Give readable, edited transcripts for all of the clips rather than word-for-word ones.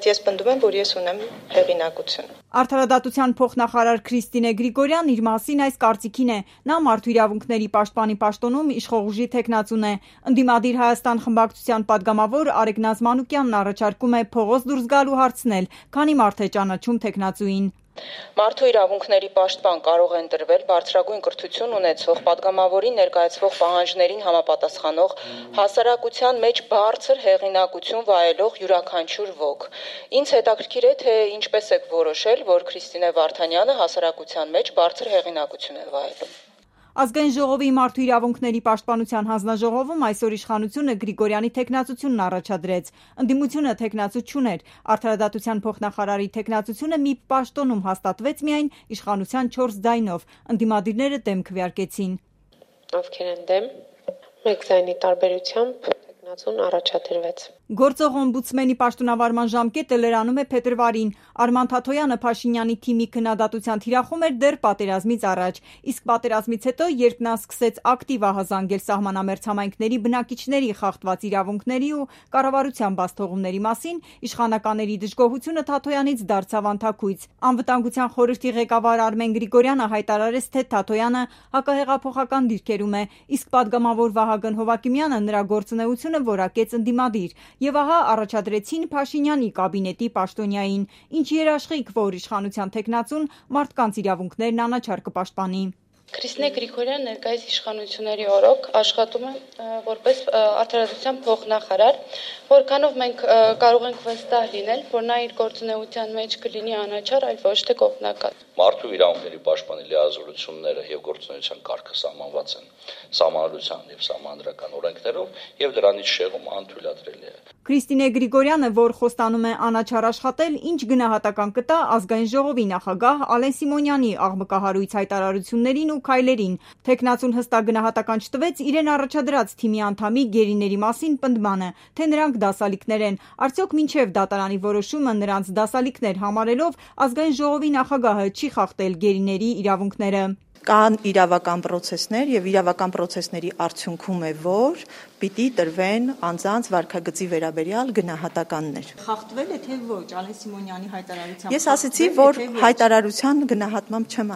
Ես պնդում եմ, որ ես ունեմ հեղինակություն։ Արդարադատության փոխնախարար Քրիստինե Գրիգորյանն իր մասին այս կարծիքին է։ Նա Մարդու իրավունքների պաշտպանի պաշտոնում իշխող ուժի թեկնածուն է։ Ընդդիմադիր Հայաստան խմբակցության падգամավոր Արեգ Նազմանուկյանն առաջարկում է փողոց դուրս գալ ու հարցնել, քանի մարդ է ճանաչում թեկնածուին։ Մարդու իրավունքների պաշտպան կարող է ընտրվել բարձրագույն կրթություն ունեցող, падգամավորին ներկայացվող պահանջներին համապատասխանող, հասարակության մեջ բարձր հեղինակություն վայելող յուրաքանչյուր ոք։ Ինձ հետաքրքիր է, թե ինչպես եք որոշել, որ Քրիստինե Վարդանյանը հասարակության մեջ բարձր հեղինակություն է վայելում։ Ազգային ժողովի Մարդու իրավունքների պաշտպանության հանձնաժողովում այսօր իշխանությունը Գրիգորյանի թեկնածությունն առաջադրեց։ Ընդդիմությունը թեկնածու չուներ։ Արդարադատության փոխնախարարի թեկնածությունը մի պաշտոնում հաստատվեց միայն իշխանության 4 ձայնով։ Ընդդիմադիրները դեմ քվեարկեցին։ Ովքեր են դեմ, 1 ձայնի տարբերությամբ թեկնածուն առաջադրվեց։ Գործող օմբուդսմենի պաշտոնավարման ժամկետը լրանում է փետրվարին։ Արման Թաթոյանը Փաշինյանի թիմի քննադատության թիրախում էր դեռ պատերազմից առաջ, իսկ պատերազմից հետո, երբ նա սկսեց ակտիվ ահազանգել սահմանամերձ համայնքների բնակիչների խախտված իրավունքների ու կառավարության բացթողումների մասին, իշխանականների դժգոհությունը Թաթոյանից դարձավ անթաքույց։ Անվտանգության խորհրդի ղեկավար Արմեն Գրիգորյանը հայտարարեց, թե Թաթոյանը հակահեղափոխական դիրքերում է, իսկ падգամավոր Վահագն Հովակիմյանը նրա գործունեությունը որակեց ընդդիմադիր։ Եվ ահա առաջադրեցին Փաշինյանի կաբինետի պաշտոնյային, ինչ երաշխիք, որ իշխանության թեկնածուն մարդկանց իրավունքներն անաչառ կպաշտպանի։ Քրիստինե Գրիգորյանը ներկայիս իշխանությունների օրոք աշխատում է որպես արդարադատության փոխնախարար, որքանով մենք կարող ենք վստահ լինել, որ նա իր գործունեության մեջ կլինի անաչառ, այլ ոչ թե կողմնակալ։ Մարդու իրավունքների պաշտպանի լիազորությունները եւ գործունեության կարգը սահմանված են սահմանադրության եւ սահմանադրական օրենքներով եւ դրանից շեղումը անթույլատրելի է։ Քրիստինե Գրիգորյանը, որ խոստանում է անաչառ աշխատել, ինչ գնահատական կտա Ազգային ժողովի նախագահ Ալեն Սիմոնյանի աղմկահարույց հայտարարություններին ու քայլերին։ Թեկնածուն հստակ գնահատական չտվեց իրեն առաջադրած թիմի անդամի գերիների մասին պնդմանը, թե նրանք դասալիքներ են։ Արդյոք մինչև դատարանի որոշումը նրանց դասալիքներ համարելով Ազգային ժողովի նախագահը չի խախտել գերիների իրավունքները։ Կան իրավական պրոցեսներ եւ իրավական պրոցեսների արդյունքում է, որ պիտի տրվեն անձանց վարքագծի վերաբերյալ գնահատականներ։ Խախտվել է թե ոչ Ալեն Սիմոնյանի հայտարարությամբ։ Ես ասացի, որ հայտարարության գնահատմամբ չեմ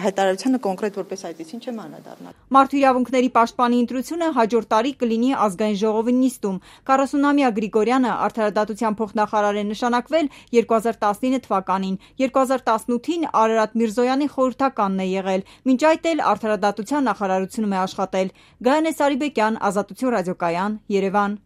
հայտարարությանը կոնկրետ որպես այդպեսին չեմ անդրադառնալ։ Մարդու իրավունքների պաշտպանի ընտրությունը հաջորդ տարի կլինի Ազգային ժողովի նիստում։ 40-ամյա Գրիգորյանը արդարադատության փոխնախարար է նշանակվել 2019 թվականին։ 2018-ին Արարատ Միրզոյանի խորհրդականն է եղել։ Մինչ այդ էլ արդարադատության նախարարությունում է աշխատել։ Գայանե Սարիբեկյան, Ազատություն ռադիոկայան, Երևան։